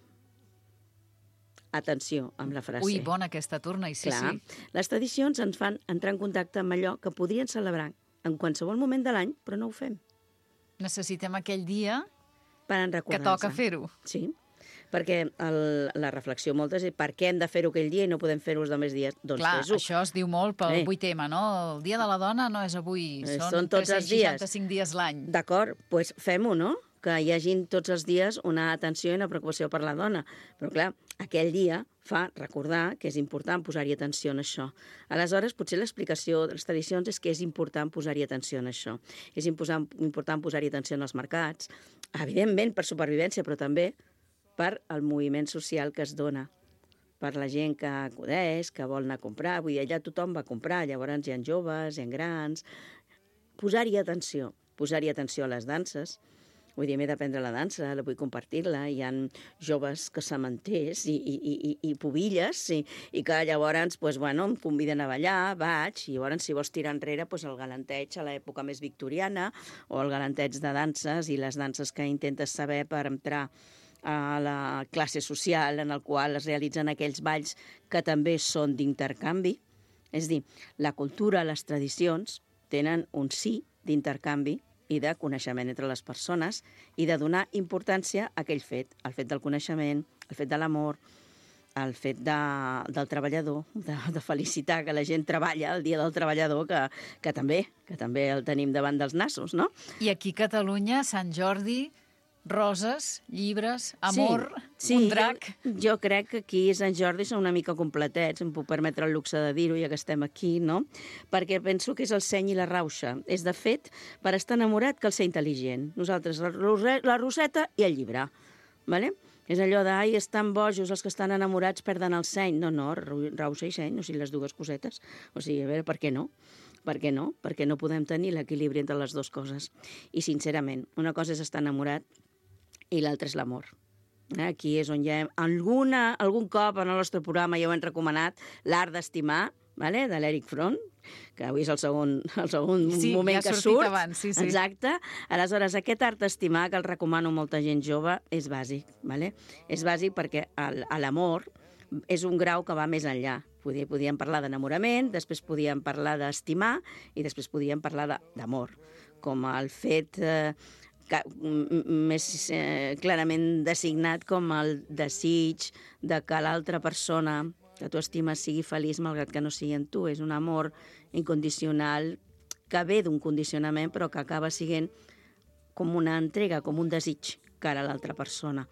[SPEAKER 6] Atenció amb la frase.
[SPEAKER 1] Ui, bona aquesta torna, i sí.
[SPEAKER 6] Les tradicions ens fan entrar en contacte amb allò que podrien celebrar en qualsevol moment de l'any, però no ho fem.
[SPEAKER 1] Necessitem aquell dia
[SPEAKER 6] per
[SPEAKER 1] que toca fer-ho.
[SPEAKER 6] Sí, perquè la reflexió moltes és per què hem de fer-ho aquell dia i no podem fer-ho els altres dies? Doncs
[SPEAKER 1] clar,
[SPEAKER 6] fes-ho.
[SPEAKER 1] això es diu molt pel 8M, no? El dia de la dona no és avui, són
[SPEAKER 6] tots els dies.
[SPEAKER 1] 365 dies l'any.
[SPEAKER 6] D'acord, doncs fem-ho, no? Que hi hagi tots els dies una atenció i una preocupació per la dona. Però, clar, aquell dia fa recordar que és important posar-hi atenció en això. Aleshores, potser l'explicació de les tradicions és que és important posar-hi atenció en això. És important posar-hi atenció en els mercats, evidentment per supervivència, però també per el moviment social que es dona, per la gent que acudeix, que vol anar a comprar. Vull dir, allà tothom va a comprar, llavors hi ha joves, hi ha grans... Posar-hi atenció a les danses. Vull dir, m'he d'aprendre la dansa, la vull compartir-la. Hi ha joves que samenters i pubilles i que llavors em conviden a ballar, vaig, i llavors si vols tirar enrere el galanteig a l'època més victoriana o el galanteig de danses i les danses que intentes saber per entrar a la classe social en el qual es realitzen aquells balls que també són d'intercanvi. És a dir, la cultura, les tradicions tenen un sí d'intercanvi i de coneixement entre les persones i de donar importància a aquell fet, el fet del coneixement, el fet de l'amor, el fet del treballador, de felicitar que la gent treballa, el dia del treballador, que també el tenim davant dels nassos, no?
[SPEAKER 1] I aquí a Catalunya, Sant Jordi, roses, llibres, amor,
[SPEAKER 6] sí,
[SPEAKER 1] un drac...
[SPEAKER 6] Jo crec que aquí a Sant Jordi són una mica completets, em puc permetre el luxe de dir-ho, ja que estem aquí, no? Perquè penso que és el seny i la rauxa. És, de fet, per estar enamorat cal ser intel·ligent. Nosaltres, la roseta i el llibre, ¿vale? És allò de, ai, estan bojos, els que estan enamorats perden el seny. No, rauxa i seny, o sigui, les dues cosetes. O sigui, a veure, per què no? Per què no? Perquè no podem tenir l'equilibri entre les dues coses. I, sincerament, una cosa és estar enamorat i l'altre és l'amor. Aquí és on ja algun cop en el nostre programa ja ho hem recomanat, l'art d'estimar, de l'Eric Fromm, que avui és el segon moment que surt.
[SPEAKER 1] Abans, sí.
[SPEAKER 6] Exacte. Aleshores, aquest art d'estimar, que el recomano a molta gent jove, és bàsic. És bàsic perquè l'amor és un grau que va més enllà. Podíem parlar d'enamorament, després podíem parlar d'estimar i després podíem parlar d'amor, com el fet... més clarament designat com el desig de que l'altra persona que tu estimes sigui feliç malgrat que no sigui en tu. És un amor incondicional que ve d'un condicionament però que acaba sent com una entrega, com un desig cara a l'altra persona.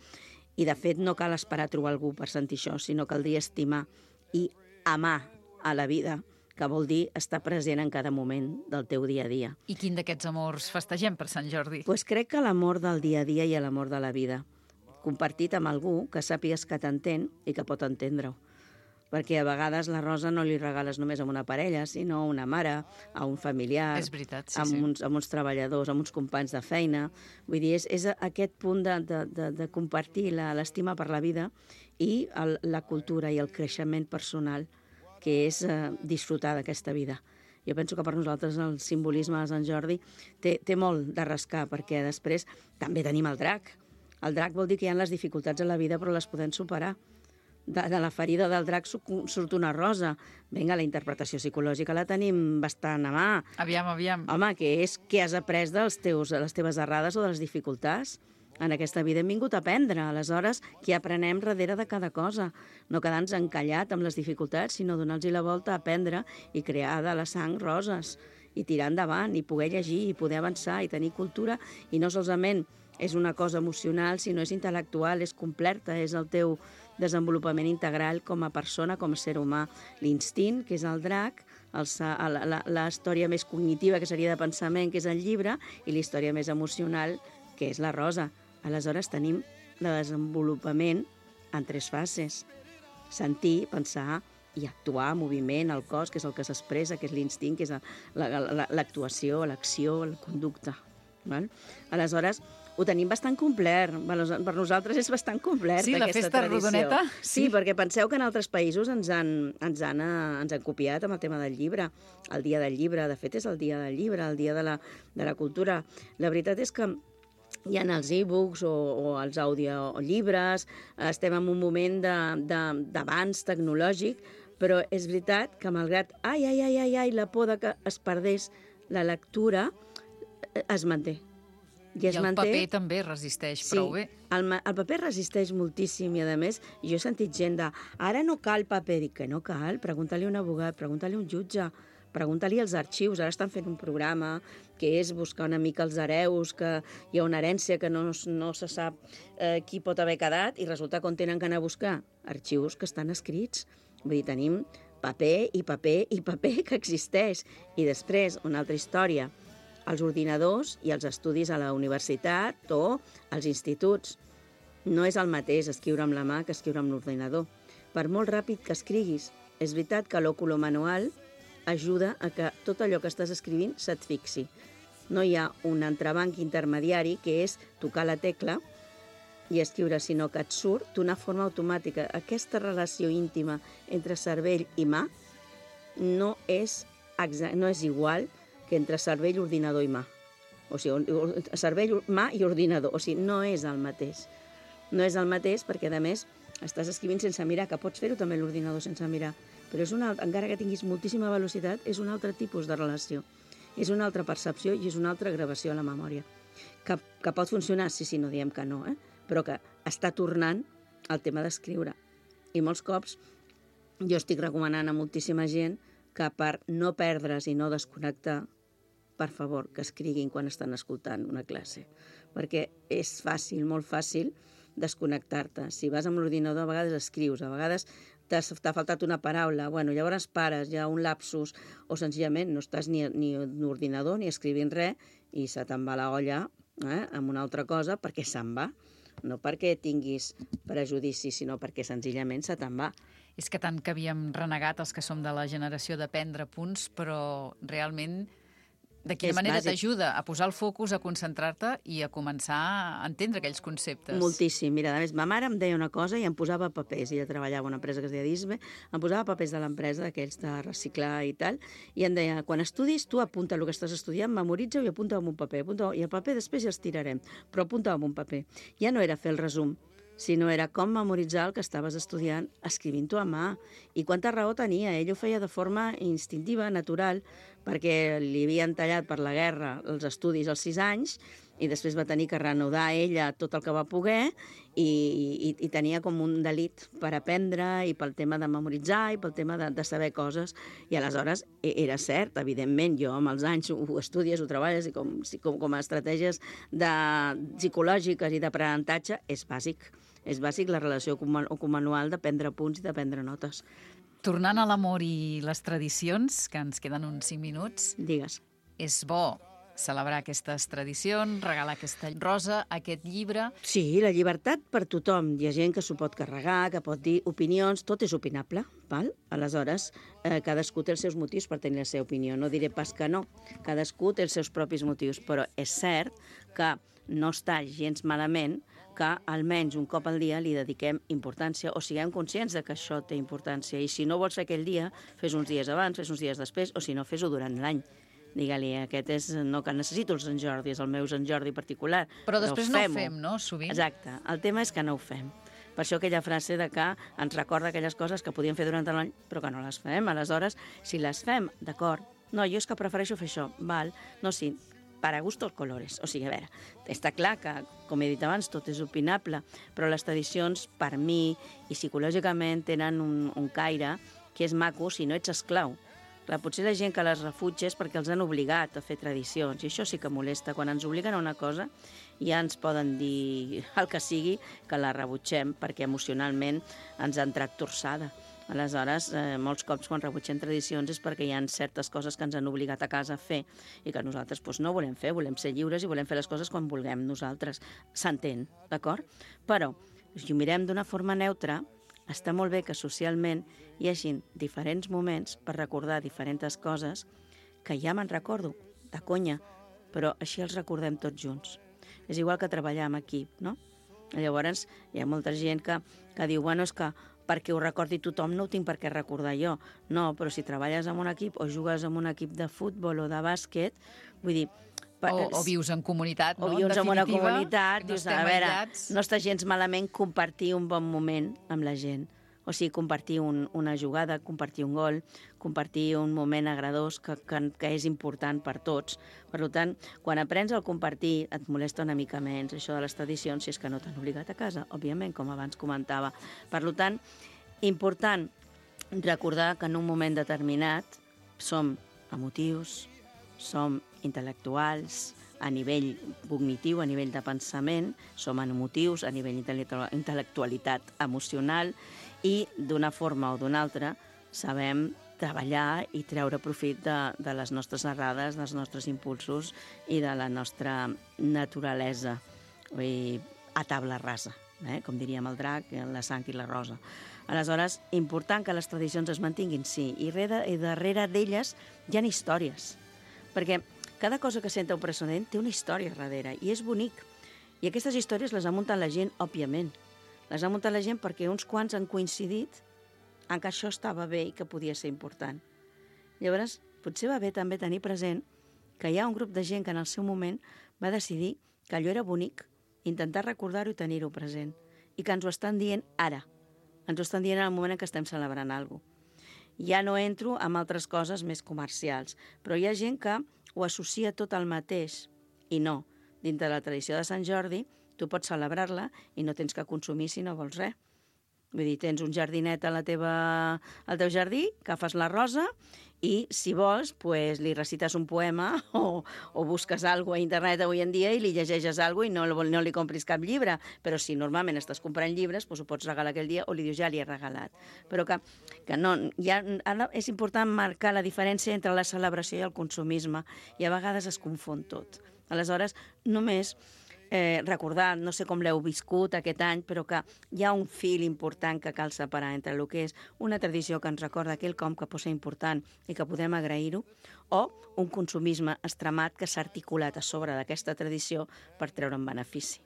[SPEAKER 6] I de fet no cal esperar a trobar algú per sentir això, sinó caldria estimar i amar a la vida, que vol dir estar present en cada moment del teu dia a dia.
[SPEAKER 1] I quin d'aquests amors festegem per Sant Jordi?
[SPEAKER 6] Doncs crec que l'amor del dia a dia i l'amor de la vida, compartit amb algú que sàpigues que t'entén i que pot entendre-ho. Perquè a vegades la rosa no li regales només a una parella, sinó a una mare, a un familiar,
[SPEAKER 1] és veritat, sí,
[SPEAKER 6] a uns treballadors, a uns companys de feina. Vull dir, és aquest punt de compartir l'estima per la vida i la cultura i el creixement personal, que és disfrutar d'aquesta vida. Jo penso que per nosaltres el simbolisme de Sant Jordi té molt de rascar, perquè després també tenim el drac. El drac vol dir que hi ha les dificultats a la vida, però les podem superar. De la ferida del drac surt una rosa. Vinga, la interpretació psicològica la tenim bastant a mà.
[SPEAKER 1] Aviam.
[SPEAKER 6] Home, que és què has après de les teves errades o de les dificultats? En aquesta vida hem vingut a aprendre, aleshores, què aprenem darrere de cada cosa? No quedar-nos encallat amb les dificultats, sinó donar-los la volta a aprendre i crear de la sang roses, i tirar endavant, i poder llegir, i poder avançar, i tenir cultura, i no solament és una cosa emocional, sinó és intel·lectual, és completa, és el teu desenvolupament integral com a persona, com a ser humà. L'instint, que és el drac, la història més cognitiva, que seria de pensament, que és el llibre, i la història més emocional, que és la rosa. Aleshores tenim el desenvolupament en 3 fases. Sentir, pensar i actuar, moviment, el cos, que és el que s'expressa, que és l'instint, que és l'actuació, l'acció, la conducta. Val? Aleshores, ho tenim bastant complert. Per nosaltres és bastant complert,
[SPEAKER 1] sí,
[SPEAKER 6] aquesta
[SPEAKER 1] festa
[SPEAKER 6] tradició.
[SPEAKER 1] rodoneta.
[SPEAKER 6] Sí, perquè penseu que en altres països ens han copiat amb el tema del llibre. El dia del llibre, de fet, és el dia del llibre, el dia de la cultura. La veritat és que hi ha els e-books o els audiollibres, estem en un moment d'avanç tecnològic, però és veritat que malgrat la por que es perdés la lectura, es manté.
[SPEAKER 1] I el paper també resisteix prou bé.
[SPEAKER 6] El paper resisteix moltíssim i, a més, jo he sentit gent de ara no cal paper. Dic que no cal, pregunta-li a un abogat, pregunta-li a un jutge, pregunta-li als arxius. Ara estan fent un programa que és buscar una mica els hereus, que hi ha una herència que no se sap qui pot haver quedat, i resulta que on tenen que anar a buscar? Arxius que estan escrits. Vull dir, tenim paper i paper i paper que existeix. I després, una altra història, els ordinadors i els estudis a la universitat o als instituts. No és el mateix escriure amb la mà que escriure amb l'ordinador. Per molt ràpid que escriguis, és veritat que l'òculo manual ajuda a que tot allò que estàs escrivint se't fixi. No hi ha un entrebanc intermediari, que és tocar la tecla i escriure, sinó que et surt d'una forma automàtica. Aquesta relació íntima entre cervell i mà no és igual que entre cervell, ordinador i mà. O sigui, cervell, mà i ordinador. O sigui, no és el mateix. No és el mateix perquè, a més, estàs escrivint sense mirar, que pots fer-ho també a l'ordinador sense mirar, però encara que tinguis moltíssima velocitat, és un altre tipus de relació. És una altra percepció i és una altra gravació a la memòria. Que pot funcionar? Sí, no diem que no, però que està tornant al tema d'escriure. I molts cops jo estic recomanant a moltíssima gent que per no perdre's i no desconnectar, per favor, que escriguin quan estan escoltant una classe. Perquè és fàcil, molt fàcil, desconnectar-te. Si vas amb l'ordinador, a vegades escrius, a vegades t'ha faltat una paraula, llavors pares, hi ha un lapsus, o senzillament no estàs ni en l'ordinador ni escrivint res i se te'n va la olla amb una altra cosa perquè se'n va. No perquè tinguis prejudici, sinó perquè senzillament se te'n va.
[SPEAKER 1] És que tant que havíem renegat els que som de la generació de prendre punts, però realment de quina manera t'ajuda a posar el focus, a concentrar-te i a començar a entendre aquells conceptes.
[SPEAKER 6] Moltíssim. Mira, a més, ma mare em deia una cosa i em posava papers. Ella treballava a una empresa que es deia Disbe, em posava papers de l'empresa, d'aquells de reciclar i tal, i em deia, quan estudis, tu apunta el que estàs estudiant, memoritza-ho i apunta-ho en un paper. I el paper després ja els tirarem, però apunta-ho en un paper. Ja no era fer el resum, sinó era com memoritzar el que estaves estudiant escrivint-ho a mà. I quanta raó tenia. Ell ho feia de forma instintiva, natural, perquè li havien tallat per la guerra els estudis als 6 anys i després va tenir que reanudar ella tot el que va poder i tenia com un delit per aprendre i pel tema de memoritzar i pel tema de saber coses. I aleshores era cert, evidentment, jo amb els anys ho estudies, ho treballes i com a estratègies psicològiques i d'aprenentatge és bàsic. És bàsic la relació manual de prendre punts i de prendre notes.
[SPEAKER 1] Tornant a l'amor i les tradicions, que ens queden uns 5 minuts.
[SPEAKER 6] Digues.
[SPEAKER 1] És bo celebrar aquestes tradicions, regalar aquesta rosa, aquest llibre.
[SPEAKER 6] Sí, la llibertat per tothom. Hi ha gent que s'ho pot carregar, que pot dir opinions, tot és opinable, val? Aleshores, cadascú té els seus motius per tenir la seva opinió. No diré pas que no. Cadascú té els seus propis motius, però és cert que no està gens malament que almenys un cop al dia li dediquem importància o siguem conscients de que això té importància. I si no vols fer aquell dia, fes uns dies abans, fes uns dies després, o si no, fes-ho durant l'any. Digue-li, aquest és no que necessito el Sant Jordi, és el meu Sant Jordi particular.
[SPEAKER 1] Però després no ho fem, no?, sovint.
[SPEAKER 6] Exacte. El tema és que no ho fem. Per això aquella frase de que ens recorda aquelles coses que podíem fer durant l'any, però que no les fem. Aleshores, si les fem, d'acord, no, jo és que prefereixo fer això, val, no, sí, para gustos colores. O sigui, a veure, està clar que, com he dit abans, tot és opinable, però les tradicions, per mi, i psicològicament, tenen un caire que és maco si no ets esclau. Clar, potser la gent que les refutja és perquè els han obligat a fer tradicions, i això sí que molesta. Quan ens obliguen a una cosa, ja ens poden dir el que sigui que la rebutgem perquè emocionalment ens ha entrat torçada. Aleshores, molts cops quan rebutgem tradicions és perquè hi ha certes coses que ens han obligat a casa a fer i que nosaltres no volem fer, volem ser lliures i volem fer les coses quan vulguem nosaltres. S'entén, d'acord? Però, si ho mirem d'una forma neutra, està molt bé que socialment hi hagi diferents moments per recordar diferents coses que ja me'n recordo, de conya, però així els recordem tots junts. És igual que treballar en equip, no? Llavors, hi ha molta gent que diu, bueno, és que perquè ho recordi tothom no ho tinc per què recordar jo. No, però si treballes en un equip o jugues en un equip de futbol o de bàsquet, vull dir...
[SPEAKER 1] O vius en comunitat, no?
[SPEAKER 6] O vius en una comunitat,
[SPEAKER 1] no
[SPEAKER 6] dius, a veure, no està gens malament compartir un bon moment amb la gent. O sigui, compartir una jugada, compartir un gol, compartir un moment agradós que és important per tots. Per tant, quan aprens a compartir, et molesta una mica menys això de les tradicions, si és que no t'han obligat a casa, òbviament, com abans comentava. Per tant, important recordar que en un moment determinat som emotius, som intel·lectuals, a nivell cognitiu, a nivell de pensament, som emotius, a nivell d'intel·lectualitat emocional, i d'una forma o d'una altra sabem treballar i treure profit de les nostres errades, dels nostres impulsos i de la nostra naturalesa, a tabla rasa, com diríem el drac, la sang i la rosa. Aleshores, important que les tradicions es mantinguin, sí, i darrere d'elles hi ha històries, perquè cada cosa que senta un precedent té una història darrere, i és bonic. I aquestes històries les ha muntat la gent, òbviament. Les ha muntat la gent perquè uns quants han coincidit en que això estava bé i que podia ser important. Llavors, potser va bé també tenir present que hi ha un grup de gent que en el seu moment va decidir que allò era bonic, intentar recordar-ho i tenir-ho present, i que ens ho estan dient ara. Ens ho estan dient en el moment en què estem celebrant alguna cosa. Ja no entro en altres coses més comercials, però hi ha gent que ho associa tot al mateix, i no. Dintre de la tradició de Sant Jordi, tu pots celebrar-la i no tens que consumir si no vols res. Vull dir, tens un jardinet al teu jardí, agafes la rosa i, si vols, li recites un poema o busques alguna cosa a internet avui en dia i li llegeixes alguna cosa i no li compris cap llibre. Però si normalment estàs comprant llibres, ho pots regalar aquell dia o li dius ja li he regalat. Però que no, ara és important marcar la diferència entre la celebració i el consumisme, i a vegades es confon tot. Aleshores, només recordar, no sé com l'heu viscut aquest any, però que hi ha un fil important que cal separar entre el que és una tradició que ens recorda quelcom que pot ser important i que podem agrair-ho, o un consumisme extremat que s'ha articulat a sobre d'aquesta tradició per treure'n benefici.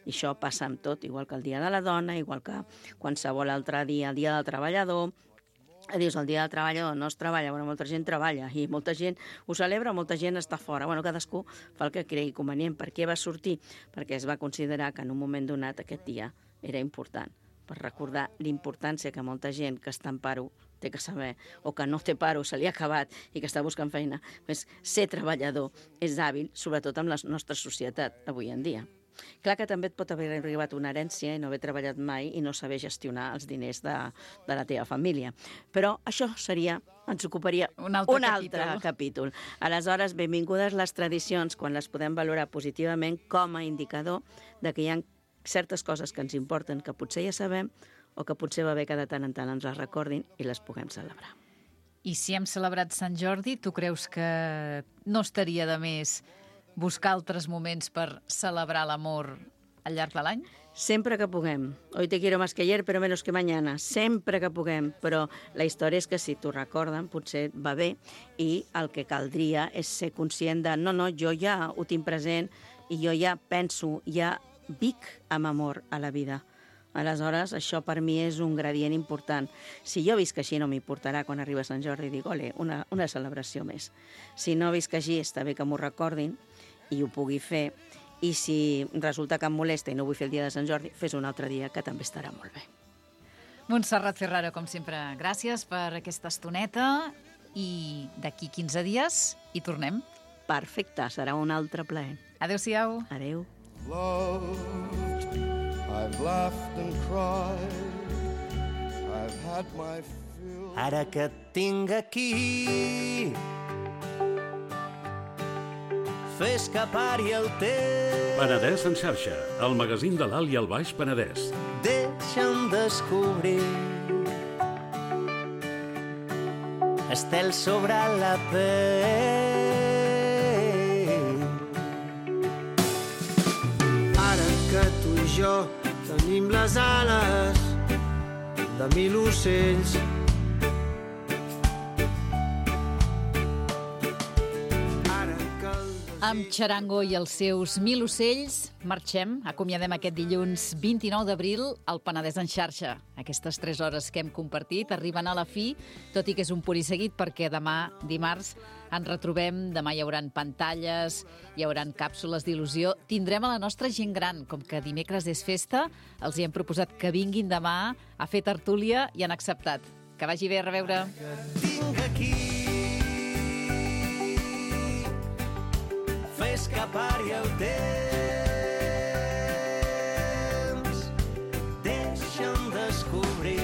[SPEAKER 6] I això passa amb tot, igual que el Dia de la Dona, igual que qualsevol altre dia, el Dia del Treballador. Dius, el Dia del Treballador no es treballa, bueno, molta gent treballa i molta gent ho celebra, molta gent està fora. Bueno, cadascú fa el que cregui convenient. Per què va sortir? Perquè es va considerar que en un moment donat aquest dia era important, per recordar l'importància que molta gent que està en paro té que saber, o que no té paro, se li ha acabat i que està buscant feina. Ser treballador és hàbil, sobretot en la nostra societat avui en dia. Clar que també et pot haver arribat una herència i no haver treballat mai i no saber gestionar els diners de la teva família. Però això ens ocuparia un altre capítol. Aleshores, benvingudes les tradicions quan les podem valorar positivament com a indicador de que hi ha certes coses que ens importen, que potser ja sabem o que potser va bé que de tant en tant ens les recordin i les puguem celebrar.
[SPEAKER 1] I si hem celebrat Sant Jordi, tu creus que no estaria de més buscar altres moments per celebrar l'amor al llarg de l'any?
[SPEAKER 6] Sempre que puguem. Hoy te quiero más que ayer, pero menos que mañana. Sempre que puguem. Però la història és que si t'ho recorden, potser va bé, i el que caldria és ser conscient de no, jo ja ho tinc present i jo ja penso, ja vic amb amor a la vida. Aleshores, això per mi és un gradient important. Si jo visc així no m'importarà quan arriba Sant Jordi i dic, ole, una celebració més. Si no visc així, està bé que m'ho recordin i ho pugui fer, i si resulta que em molesta i no vull fer el dia de Sant Jordi, fes un altre dia que també estarà molt bé.
[SPEAKER 1] Montserrat Ferraro, com sempre, gràcies per aquesta estoneta, i d'aquí 15 dies hi tornem.
[SPEAKER 6] perfecte, serà un altre plaer.
[SPEAKER 1] Adéu-siau.
[SPEAKER 6] Adéu.
[SPEAKER 5] Loved, I've laughed and cried, I've had my fill.
[SPEAKER 7] Ara que et tinc aquí, fes que pari el temps.
[SPEAKER 8] Penedès en xarxa, el magazín de l'Alt i el Baix Penedès.
[SPEAKER 7] Deixa'm descobrir estel sobre la pell.
[SPEAKER 9] Ara que tu i jo tenim les ales de 1000 ocells,
[SPEAKER 1] Amb Charango i els seus 1000 ocells, marxem, acomiadem aquest dilluns 29 d'abril al Penedès en xarxa. Aquestes 3 hores que hem compartit arriben a la fi, tot i que és un pur i seguit, perquè demà, dimarts, ens retrobem, demà hi haurà pantalles, hi haurà càpsules d'il·lusió, tindrem a la nostra gent gran, com que dimecres és festa, els hi hem proposat que vinguin demà a fer tertúlia i han acceptat. Que vagi bé, a reveure.
[SPEAKER 7] Tinc aquí, fes que pari el temps, deixa'm descobrir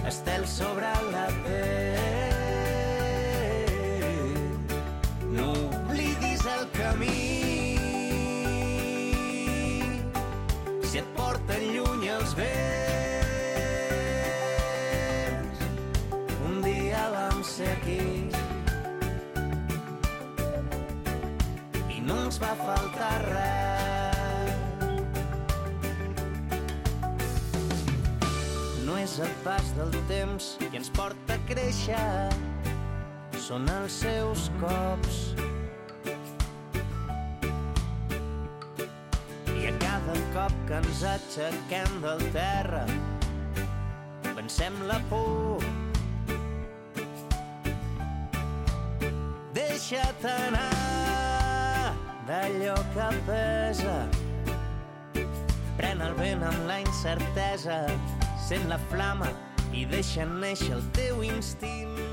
[SPEAKER 7] estel sobre la pell. No oblidis el camí, si et porten lluny els vents. Un dia vam ser aquí i no ens va faltar res. No és el pas del temps que ens porta a créixer, són els seus cops. I a cada cop que ens aixequem del terra, vencem la por. Deixa't anar d'allò que pesa, pren el vent amb la incertesa, sent la flama i deixa néixer el teu instint.